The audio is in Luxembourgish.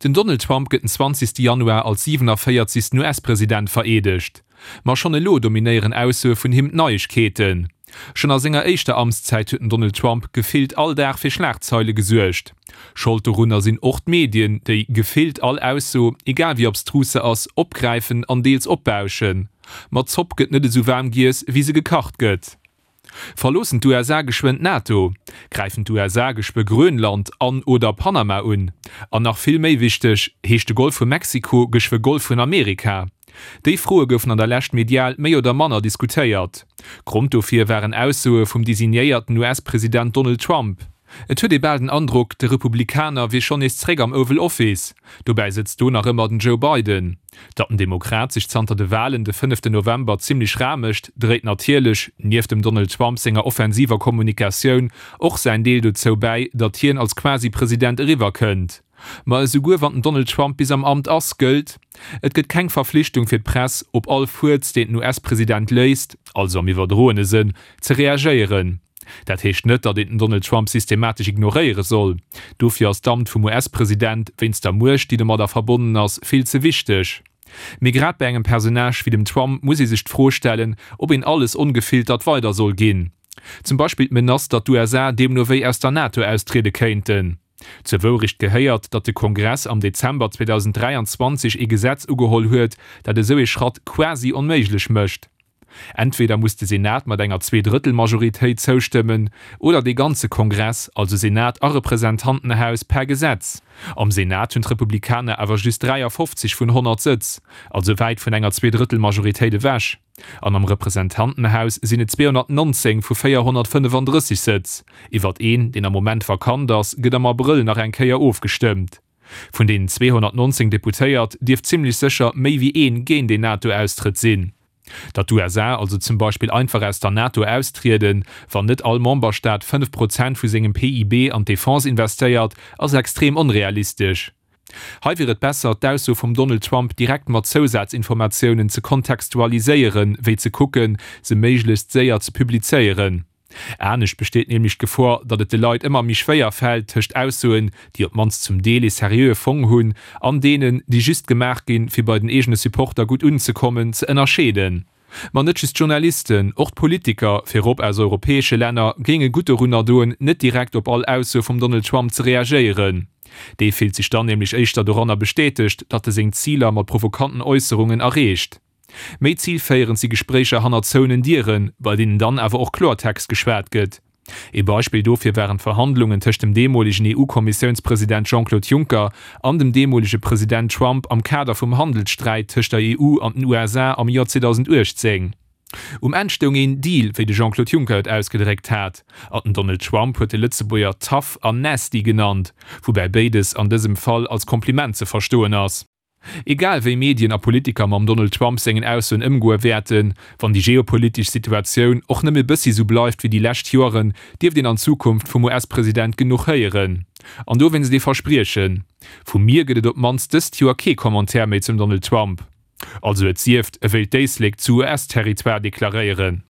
Den Donald Trump gëtt den 20. Januar als 47. US-President vereedegt. Ma schonn elo dominéieren Aussoe vun him d'Neiegkeeten. Schonn a senger éischter Amtszäit huet den Donald Trump gefillt all Dag fir Schlagzeile gesuergt. Schold dorunner sinn och d'Medien, déi gefillt all Ausso, egal wéi abstrus se ass, opgräifen an deels opbauschen. Ma d'Zopp gëtt net esou waarm giess, wéi se gekacht gëtt. Verloossen d'USA geschwënn d'NATO? Gräifen d'USA geschwë Grönland an oder Panama un? An nach vill méi wichteg, Heescht de Golf vu Mexiko geschwë Golf vun Amerika? Déi Froe goufen an der Lescht medial méi oder manner diskutéiert. Grond dofir waren Aussoe vum designéierten US-President Donald Trump. Et huet ee bal den Androck, de Republikaner wier schonn nees zréck am Oval Office. Dobäi sëtzt do nach ëmmer den Joe Biden. Datt den Demokrat sech zanter de Walen de fënneften November zimmlech rar mécht, dréit natierlech, nieft dem Donald Trump senger offensiver Kommunikatioun, och säin Deel dozou bäi, datt hien als Quasi-President eriwwer kënnt. Ma esouguer wann den Donald Trump bis am Amt ass, gëllt, Et gëtt keng Verflichtung fir d'Press, op all Fuerz, deen den US-President léisst, also am iwwerdroene Sënn, ze reagéieren. Dat heescht net, datt een den Donald Trump systematesch ignoréiere soll. Dofir ass d'Amt vum US-President, wéinst der Muecht, déi domadder verbonnen ass, vill ze wichteg. Mee grad bei engem Personnage wéi dem Trump muss ee sech d'Fro stellen, ob een alles ongefiltert weider soll ginn. Zum Beispill d'Menace, datt d'USA deemno wéi aus der NATO austriede kéinten. Zur Wourecht gehéiert, datt de Kongress am Dezember 2023 ee Gesetz ugeholl huet, dat esou ee Schratt quasi onméiglech mécht. Entweder muss de Senat mat enger Zweedrëttelmajoritéit zoustëmmen, oder dee ganze Kongress, also Senat a Representantenhaus, per Gesetz. Am Senat hunn d'Republikaner awer just 53 vun 100 Sëtz, also wäit vun enger Zweedrëttelmajoritéit ewech. An am Representantenhaus sinn et 219 vu 435 Sëtz. Iwwert een, deen am Moment vakant ass, gëtt am Abrëll nach eng Kéier ofgestëmmt. Vun deenen 219 Deputéiert dierft zimmlech sécher méi wéi een géint een NATO-Austrëtt sinn. Datt d'USA also zum Beispill einfach aus der NATO austrieden, wann net all Memberstaat 5 Prozent vu sengem PIB an d'Defense investéiert, ass extrem onrealistesch. Hei wier et besser, d'Ausso vum Donald Trump direkt mat Zousazinformatiounen ze kontextualiséieren, wéi ze kucken, se méiglechst séier ze publizéieren. Anescht besteet nämlech d'Gefor, datt et de Leit ëmmer méi schwéier fält, tëscht Aussoen, déi op d'mannst zum Deel ee seriöe Fong hunn, an deenen, déi just gemaach ginn, fir bei den eegene Supporter gutt unzekommen, ze ënnerscheeden. Ma net just d'Journalisten, och d'Politiker, virop aus europäesche Länner, géinge gutt dorunner doen, net direkt op all Ausso vum Donald Trump ze reagéieren. Dee fillt sech dann nämlech éischter doranner bestätegt, datt e seng Ziler mat provokanten Äusserungen erreecht. Méi zilféierend si Gespréicher hanner zouenen Dieren, bei deenen dann awer och Kloertext geschwat gëtt. Ee Beispill dofir waren d'Verhandlungen tëscht dem deemolegen EU-Kommissiounspresident Jean-Claude Juncker an dem deemolege President Trump am Kader vum Handelssträit tëscht der EU an den USA am Joer 2018. Um Enn stoung een Deal, wéi de Jean-Claude Juncker et ausgedréckt hat, an den Donald Trump huet de Lëtzebuerger tough an nasty genannt, woubäi béides an dësem Fall als Kompliment ze verstoen ass. Egal wéi Medien a Politiker mam Donald Trump sengen Aussoen ëmgoe wäerten, wann déi geopolitesch Situatioun och nëmme e bëssi sou bleift wéi déi lescht Joeren, dierft een an Zukunft vum US-President genuch héieren. An dowéinst ee Verspriechen, Vu mir gëtt et op d'mannst dëst Joer kee Commentaire méi zum Donald Trump. Also et sieft, e wéilt d'Éislek zu US-Territoire deklaréieren.